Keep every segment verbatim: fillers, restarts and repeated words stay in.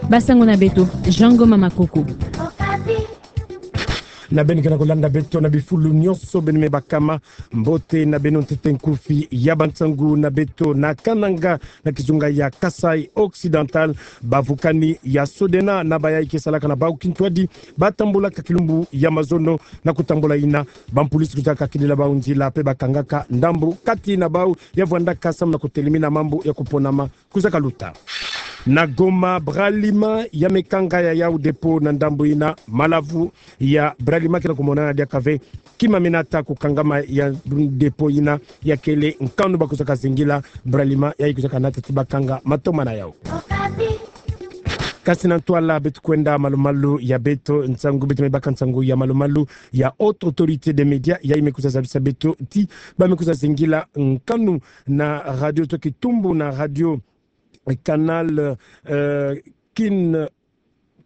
Basango na beto, Jean Ngoma Makoko. Na beno ke na kolanda beto na bifulu nyonso beno me bakama, mbote na beno ntete nkufi ya bansangu na beto. Na Kananga, na kizunga ya Kasaï Occidental, bavukani ya Sodena na bayayi ke salaka na bau kintwadi, batambolaka kilumbu ya mazono. Na kutambola yina, bampulisi kuzaka kidila bau nzila pe bakangaka ndambu kati na bau ya vwandaka samu na kutelemina mambu ya kuponama kuzaka luta. Na Goma, Bralima ya me kanga ya yau dépôt na ndambu yina. Malavu ya Bralima ke na kumonana diaka ve kima me nata kukangama ya dépôt yina, ya kele nkanu bakuzaka zingila Bralima yayi kuzaka nata ti bakanga matoma na yau. Kasi na ntwala beto kwenda malumalu ya beto nsangu, beto me baka nsangu ya malumalu ya Haute Autorité des Médias, yayi me kwiza zabisa beto ti ba me kwiza zingila nkanu na radio to kitumbu na radio Canal, euh, Kin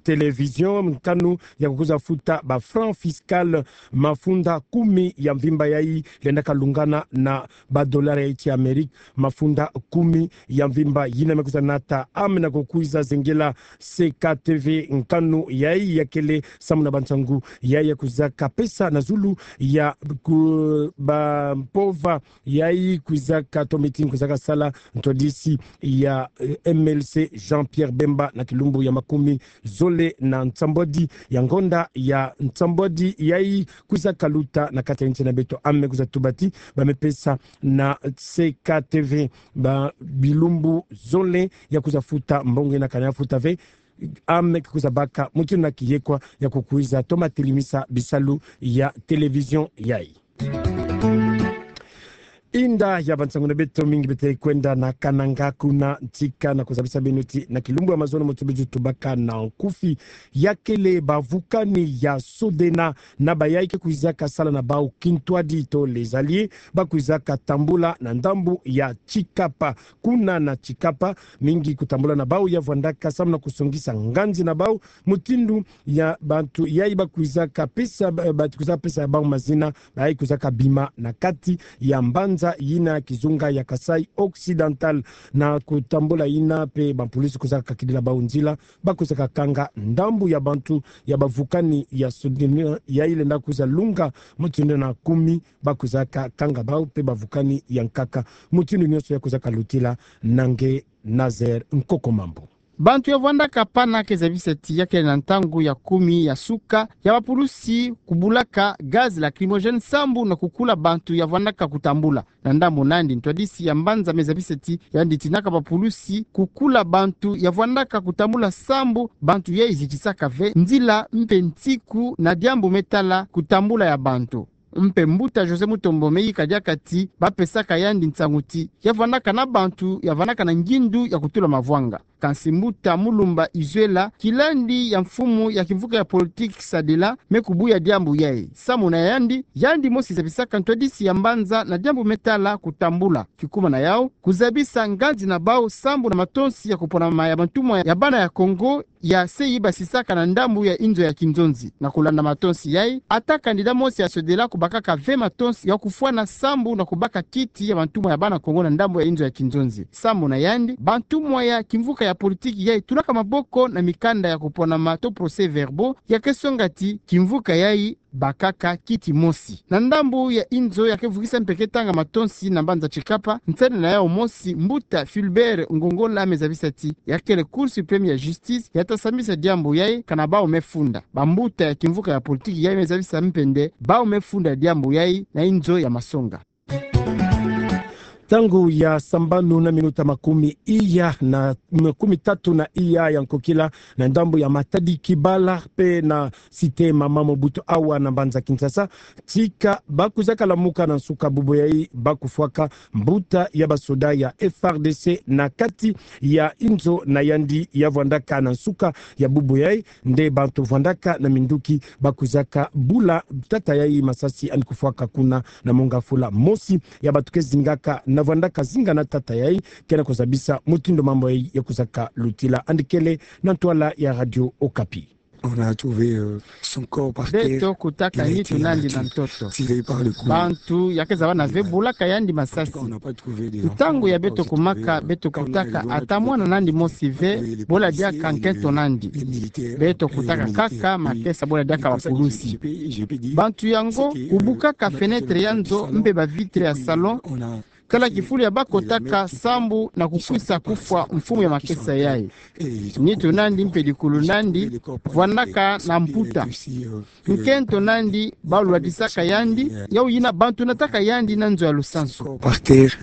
Télévision, nkanu ya kukwiza futa ba franc fiscal mafunda kumi ya mvimba yayi lenda kalungana na ba dollar ya nsi ya Amerika, mafunda kumi ya mvimba yina me kwiza nata ame na kukwiza zingila C K T V, nkanu yayi ya kele samu na bansangu yayi ya kwizaka pesa na zulu ya ku-, bampova yayi kwizaka to meeting kwizaka sala ntwadisi ya, eh, M L C Jean-Pierre Bemba na kilumbu ya makumi zole na nsambwadi ya ngonda ya nsambwadi yayi kwizaka luta na kati ya nsi na beto. Ame kwiza tuba ti ba me pesa na C K T V ba bilumbu zole ya kwiza futa mbongo yina kana ya futa ve. Ame ke kwiza baka mutindu na kiyekwa ya kukwiza toma telemisa bisalu ya télévision yayi. Inda ya bansangu na beto, mingi beto kwenda na Kananga kuna ntika na kuzabisa beno ti na kilumbu ya mazono mutindu beto tubaka na nkufi, ya kele bavukani ya Sodena na bayayi ke kwizaka sala na bau kintwadi to les alliés, ba kwizaka tambula na ndambu ya Tshikapa. Kuna na Tshikapa, mingi kutambula na bau ya vwandaka samu na kusongisa nganzi na bau, mutindu ya bantu yayi ba kwizaka pesa, ba-, bantu kwizaka pesa ya bau mazina, bayayi kwizaka bima na kati ya mbanza yina kizunga ya Kasaï Occidental. Na kutambula yina pe bampulisi kwizaka kidila bau nzila, ba kwizaka kanga ndambu ya bantu ya bavukani ya Sodena yayi lenda kwiza lunga mutindu na kumi, ba kwizaka kanga bau pe bavukani ya nkaka. Mutindu nyonso ya kwizaka lutila na nge Nazaire Nkoko Mambu. Bantu ya vwandaka pana ke zabisa ti ya kele na ntangu ya kumi ya suka ya bapulusi kubulaka gaz lacrymogène sambu na kukula bantu ya vwandaka kutambula. Na ndambu na yandi, ntwadisi ya mbanza me zabisa ti yandi tinaka bapulusi kukula bantu ya vwandaka kutambula sambu bantu yayi zikisaka ve nzila mpe nsiku na diambu me tala kutambula ya bantu. Mpe mbuta José Mutombo me yika diaka ti ba pesaka yandi nsangu ti ya vwandaka na bantu ya vwandaka na ngindu ya kutula mavwanga. Kansi mbuta Mulumba Izuela, kilandi ya mfumu ya kimvuka ya politiki Sadela, me kubuya diambu yayi. Samu na yandi, yandi mosi zabisaka ntwadisi ya mbanza na diambu me tala kutambula. Kikuma na yau, kuzabisa nganzi na bau sambu na matonsi ya kuponama ya bantumwa ya bana ya Kongo, ya se yi basisaka na ndambu ya inzo ya kinzonzi. Na kulanda matonsi yayi, ata candidat mosi ya Sodela kubakaka ve matonsi ya kufwana sambu na kubaka kiti ya bantumwa ya bana Kongo na ndambu ya inzo ya kinzonzi. Samu na yandi, bantumwa ya kimvuka ya politiki yayi tulaka maboko na mikanda ya kuponama to procès-verbaux ya ke songa ti kimvuka yayi bakaka kiti mosi. Na ndambu ya inzo ya ke vukisa mpe ke tanga matonsi na mbanza Tshikapa, nsende na yau mosi, mbuta Fulbert Ngongola me zabisa ti ya kele Cour suprême ya justice ya ta sambisa diambu yayi kana bau me funda. Bambuta ya kimvuka ya politiki yayi me zabisa mpe nde bau me funda diambu yayi na inzo ya masonga. Ntangu ya sambanu na minuta makumi iya na makumi tatu na iya ya nkokila, na ndambu ya Matadi Kibala pe na Cité Mama Mobutu awa na mbanza Kinshasa, tika ba kwizaka lamuka na nsuka bubu yayi ba kufwaka mbuta ya basoda ya F R D C na kati ya inzo na yandi ya vwandaka na nsuka ya bubu yayi, nde bantu vwandaka na minduki ba kwizaka bula tata yayi masasi yandi kufwaka kuna na monga fula. Mosi ya bantu ke zingaka na vwandaka zinga na tata yayi ke na kuzabisa mutindu mambu yayi ya kwizaka lutila. Yandi kele na ntwala ya Radio Okapi. On a trouvé, euh, son corps par terre. Beto kutaka nitu nandi na ntoto. Tiré par le cou. Bantu ya ke zaba na ve bulaka yandi masasi. Ntangu ya beto kumaka, beto kutaka ata mwana nandi mosi ve bola diaka nkento nandi. Beto kutaka kaka makesa bola diaka bapulusi. Bantu yango kubukaka fenêtre ya nzo mpe ba vitre ya salon, kala kifulu ya bakotaka sambu na kukwisa kufwa mfumu ya makesa yayi. Nitu nandi mpe dikulu nandi vwandaka na mputa. Nkento nandi balwadisaka yandi, yawu yina bantu nataka yandi na nzo ya lusansu. Par terre.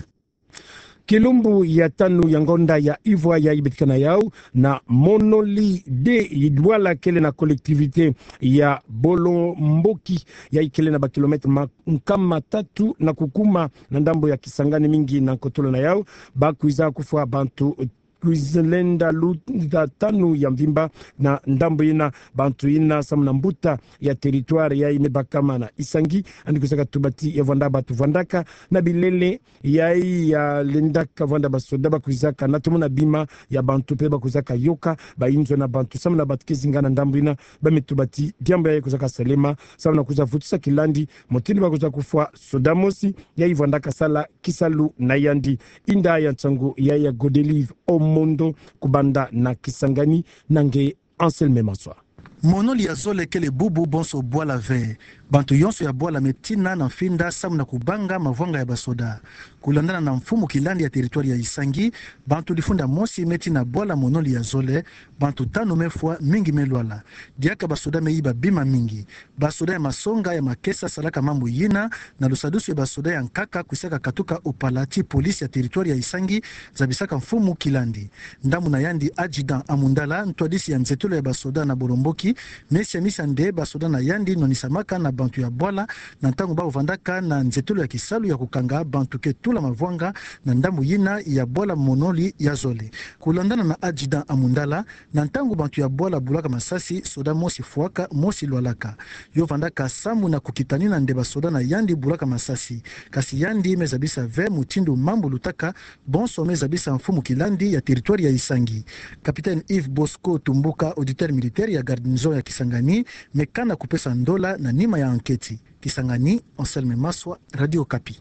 Kilumbu ya tanu ya ngonda ya ivwa yayi betikana yawu na Monoli deux, bwala kele na collectivité ya Bolomboki, yayi kele na ba kilomètre ma-, nkama tatu na kukuma na ndambu ya Kisangani, mingi na nkotolo na yawu bakwiza kufwa bantu kwiza lenda luta tanu ya mvimba. Na ndambu yina, bantu yina samu na mbuta ya territoire yayi me bakama na Isangi, yandi kwizaka tubati ya vwanda bantu vwandaka na bilele yayi ya lendaka vwanda basoda bakwizaka na tomo na bima ya bantu mpe bakwizaka yoka bayinzo na bantu. Samu na bantu ke zinga na ndambu yina, ba me tubati diambu yayi kwizaka salema samu na kwiza vutisa kilandi mutindu bakwiza kufwa soda mosi yayi vwandaka sala kisalu na yandi. Inda ya nsangu yayi ya Godelive Omondo kubanda na Kisangani, na nge Anselme Maswa. Monoli ya zole kele bubu bonso bwala ve. Bantu yonso ya bwala me tina na mfinda samu na kubanga mavwanga ya basoda. Kulandana na mfumu kilandi ya territoire ya Isangi, bantu difunda mosi me tina bwala Monoli ya zole, bantu tanu me fwa, mingi me lwala. Diaka basoda me yiba bima mingi. Basoda ya masonga ya makesa salaka mambu yina na lusadusu ya basoda ya nkaka kwisaka katuka opala ti police ya territoire ya Isangi, zabisaka mfumu kilandi. Ndambu na yandi, adjudant Amundala, ntwadisi ya nzetolo ya basoda na Bolomboki, me siamisa nde basoda na yandi nwanisamaka na bantu ya bwala na ntangu bavandaka na nzetolo ya kisalu ya kukanga bantu ke tula mavwanga na ndambu yina ya bwala Monoli ya zole. Kulandana na adjudant Amundala, na ntangu bantu ya bwala bulaka masasi, soda mosi fwaka, mosi lwalaka. Yo vandaka samu na kukitanina nde basoda na yandi bulaka masasi. Kasi yandi me zabisa ve mutindu mambu lutaka, bonso me zabisa mfumu kilandi ya territoire ya Isangi. Capitaine Yves Bosco Tumbuka, auditeur militaire ya garnison ya Kisangani, me kana kupesa ndola na nima ya anketi. Kisangani, Anselme Maswa, Radio Okapi.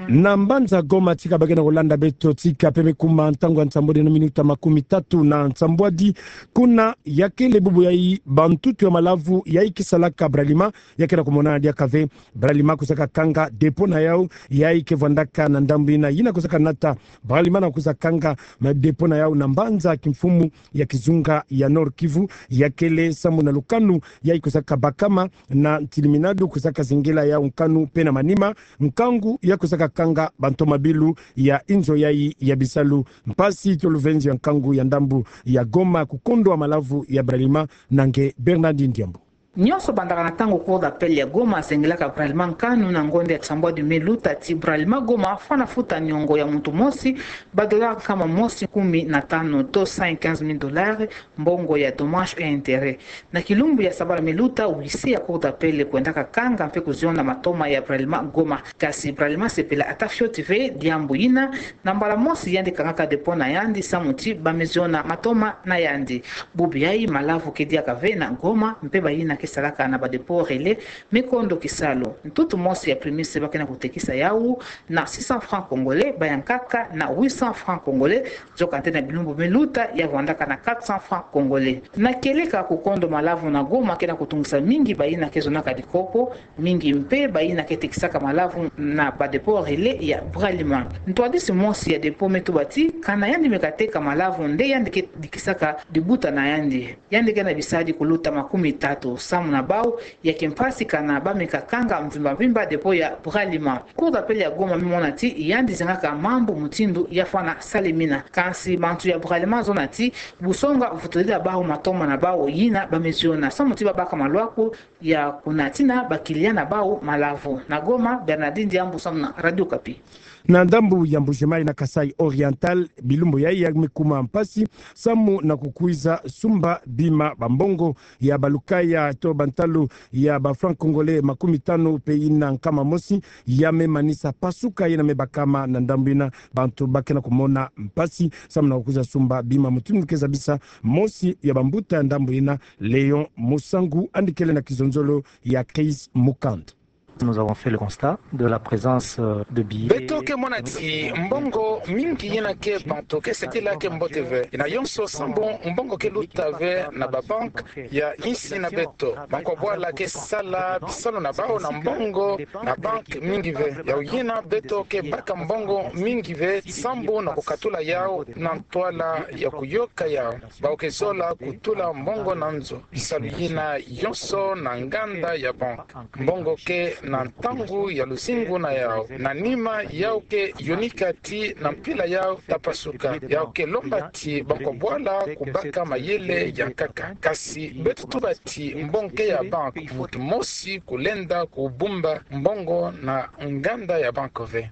Na mbanza Goma tika ba ke na kulanda beto, tika pe me kuma ntangu ya nsambwadi na minuta makumi tatu na nsambwadi, kuna ya kele bubu yayi bantutu ya malavu yayi ke salaka Bralima ya ke na kumonana diaka ve. Bralima kwizaka kanga dépôt na yawu yayi ke vandaka na ndambu yina, yina kwizaka nata Bralima na kwiza kanga ma dépôt na yawu na mbanza kimfumu ya kizunga ya Nord-Kivu, ya kele samu na lukanu yayi kwizaka bakama na ntiliminadu kwizaka zingela yawu nkanu pe na manima, nkangu ya kwizaka kanga bantu mabilu ya inzo yayi ya bisalu. Mpasi to luvenzi ya nkangu ya ndambu ya Goma, kukondo wa malavu ya Bralima, na nge Bernardine Diambu. Nyonso bandaka na ntangu Cour d'appel ya Goma azengelaka Bralima nkanu na ngonda ya nsambwadi me luta ti Bralima Goma afwana futa niongo ya muntu mosi ba dollars nkama mosi kumi na tanu, to cent quinze mille dollars, mbongo ya dommages et intérêts. Na kilumbu ya sabala me luta, huissier ya Cour d'appel kwendaka kanga mpe kuziona matoma ya Bralima Goma. Kasi Bralima asepela ata fioti ve diambu yina, na mbala mosi yandi kangaka dépôt na yandi samu ti ba me ziona matoma na yandi. Bubu yayi malavu ke diaka ve na Goma, mpe bayina ke salaka na ba dépôt relais me kondo kisalu. Ntutu mosi ya prémisse ba ke na kutekisa yawu na six cents francs congolais, bayankaka na huit cents francs congolais, nzokande na bilumbu me luta ya vandaka na quatre cents francs congolais. Na kieleka, kukondo malavu na Goma ke na kutungisa mingi bayina ke zonaka dikopo, mingi mpe bayina ke tekisaka malavu na ba dépôt relais ya Bralima. Ntwadisi mosi ya dépôt me tuba ti kana yandi me kateka malavu nde yandi ke dikisaka dibuta na yandi. Yandi ke na bisadi kuluta makumi tatu, samu na bawu ya kimpasi kana ba me kakanga mvimba mvimba dépôt ya Bralima. Cour d'appel ya Goma me mona ti yandi zengaka mambu mutindu ya fwana salemina. Kansi bantu ya Bralima zona ti busonga vutulila bawu matoma na bawu yina ba me ziona, samu ti ba baka malwaku ya kunatina ba clients na bawu malavu. Na Goma, Bernardine Diambu samu na Radio Okapi. Na ndambu ya Mbuji-Mayi na Kasaï Oriental, bilumbu yayi ya me kuma mpasi samu na kukwiza sumba bima, bambongo ya balukaya to bantalu ya ba francs congolais makumi tanu pe ina nkama mosi, ya me manisa pasuka yina me bakama na ndambu yina, bantu ba ke na kumona mpasi samu na kukwiza sumba bima. Mutindu ke zabisa mosi ya bambuta ya ndambu yina, Léon Musangu, yandi kele na kizonzolo ya Chris Mukand. Nous avons fait le constat de la présence, euh, de billets. Beto ke mona ti mbongo mingi yina ke bantu ke sekila ke mbote ve. Yina yonso sambu mbongo ke luta ve na babanki ya insi na beto. Bankwa bwala ke sala bisalu na bau na mbongo na banki mingi ve. Yau yina beto ke baka mbongo mingi ve sambu na kukatula yau na ntwala ya kuyoka yau. Bau ke zola kutula mbongo na nzo. Bisalu yina yonso na nganda ya banki. Mbongo ke na ntangu ya luzingu na yau. Na nima yau ke yonika ti na mpila yau ta pasuka. Yau ke lomba ti bankwa bwala kubaka mayele ya nkaka. Kasi beto tuba ti mbongo ke ya banki, muntu mosi kulenda kubumba mbongo na nganda ya banki ve.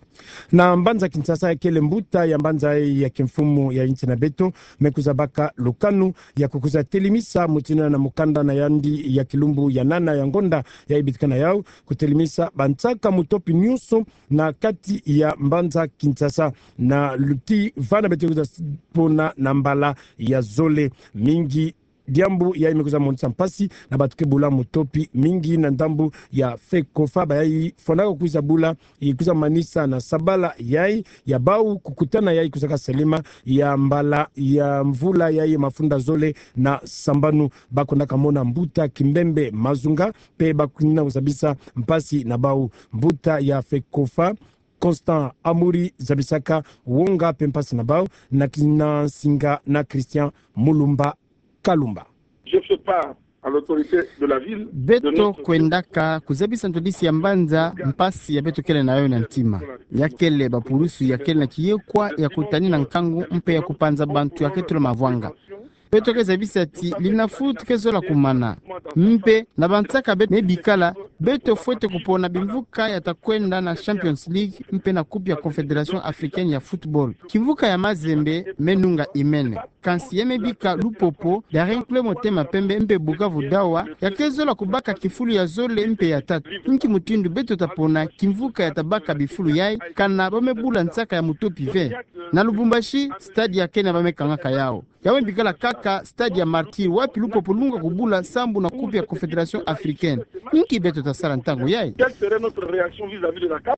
Na mbanza Kinshasa, ya kele mbuta ya mbanza ya kimfumu ya insi na beto, me kwiza baka lukanu ya kukwiza telemisa mutindu na mukanda na yandi ya kilumbu ya nana ya ngonda yayi bitika na yau, kutelemisa bansaka mutopi nyonso na kati ya mbanza Kinshasa. Na luti vana beto kwiza pona na mbala ya zole mingi. Diambu yayi me kwiza monisa mpasi na bantu ke bula mutopi mingi na ndambu ya FECOFA, bayayi fwanaka kwiza bula, i kwiza manisa na sabala yayi ya bau kukutana yayi kwizaka salama ya mbala ya mvula yayi mafunda zole na sambanu. Ba kwendaka mona mbuta Kimbembe Mazunga, pe ba kwenda kuzabisa mpasi na bau. Mbuta ya FECOFA, Constant Amuri, zabisaka wonga pe mpasi na bau na kina nsinga na Christian Mulumba Kalumba. Je fais part à l'autorité de la ville de... Beto kwendaka kuzabisa ntwadisi ya mbanza mpasi ya beto kele na yo na ntima. Ya kele bapulusu ya kele na kiyekwa ya kutani na nkangu mpe ya kupanza bantu ya ke tula mavwanga. Beto ke zabisa ti lina foot ke zola kumana. Mpe na bansaka beto me bikala, beto fwete kupona bimvuka ya ta kwenda na Champions League mpe na Coupe ya Confédération Africaine ya football. Kimvuka ya Mazembe me nunga imene. Kansi ya me bika Lupopo, Daring Club Motema Pembe mpe Bukavu Dawa ya ke zola kubaka kifulu ya zole mpe ya tatu. Nki mutindu beto ta pona kimvuka ya ta baka bifulu yayi, kana ba me bula nsaka ya mutopi ve? Na Lubumbashi, stade ya kena ba me kangaka yau. Ya me bikala kaka stade ya Martyrs, wapi Lupopo lunga kubula sambu na Coupe ya Confédération Africaine. Nki beto ta sala ntangu yayi? Quelle serait notre réaction vis-à-vis de la CAF?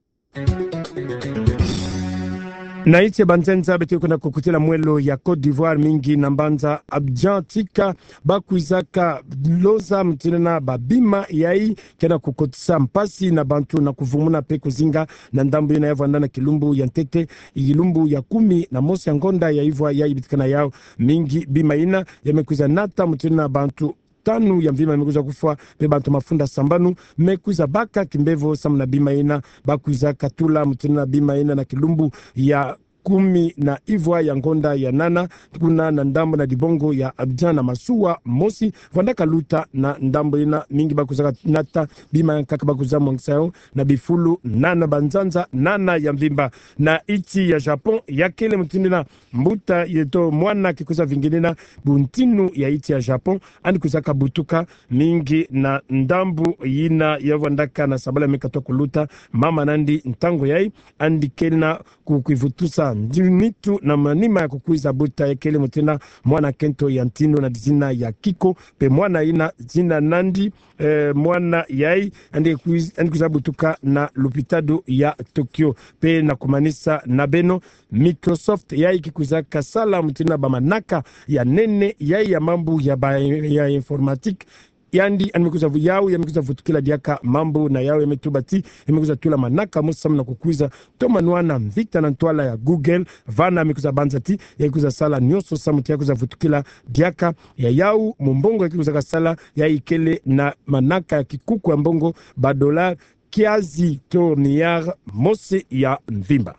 Na insi ya banzenza, beto ke na kukutila mwelo ya Côte d'Ivoire, mingi na mbanza Abidjan, tika ba kwizaka loza mutindu na babima yayi ke na kukotisa mpasi na bantu na kuvumuna pe kuzinga na ndambu yina ya vwanda na kilumbu ya ntete, kilumbu ya kumi na mosi ya ngonda ya ivwa yayi bitika na yau. Mingi bima yina ya me kwiza nata mutindu na bantu tanu ya mvimba me kwiza kufwa, pe bantu mafunda sambanu me kwiza baka kimbevo samu na bima yina. Ba kwiza katula mutindu na bima yina na kilumbu ya kumi na ivwa ya ngonda ya nana, kuna na ndambu na dibongo ya Abidjan na masuwa mosi vwandaka luta na ndambu yina. Mingi ba kwizaka nata bima yankaka, ba kwiza mwangisa yau na bifulu nana, banzanza nana ya mvimba. Na insi ya Japon, ya kele mutindu na mbuta yeto mwana ke kwiza vinginina buntinu ya insi ya Japon, yandi kwizaka butuka mingi na ndambu yina ya vwandaka na sabala me katuka kuluta, mama nandi ntangu yayi, yandi kena ku-, kwivutusa ndi-, nitu na manima ya kukwiza buta. Ya kele mutindu na mwana kento ya ntinu na dizina ya Kiko, pe mwana yina zina nandi, eh, mwana yayi, yandi kwiz-, yandi kwiza butuka na lupitalu ya Tokyo. Pe na kumanisa na beno, Microsoft yayi ke kwizaka sala mutindu na bamanaka ya nene yayi ya mambu ya ba-, ya informatique. Yandi, yandi me kwiza vu-, yau ya me kwiza vutukila diaka mambu na yau ya me tuba ti ya me kwiza tula manaka mosi samu na kukwiza toma nwana mvita na ntwala ya Google. Vana me kwiza banza ti ya kwiza sala nyonso samu ti ya kwiza vutukila diaka ya yau mumbongo ya ke kwizaka sala, yayi kele na manaka ya kikuku ya mbongo, ba dollar kiazi to milliard mosi ya mvimba.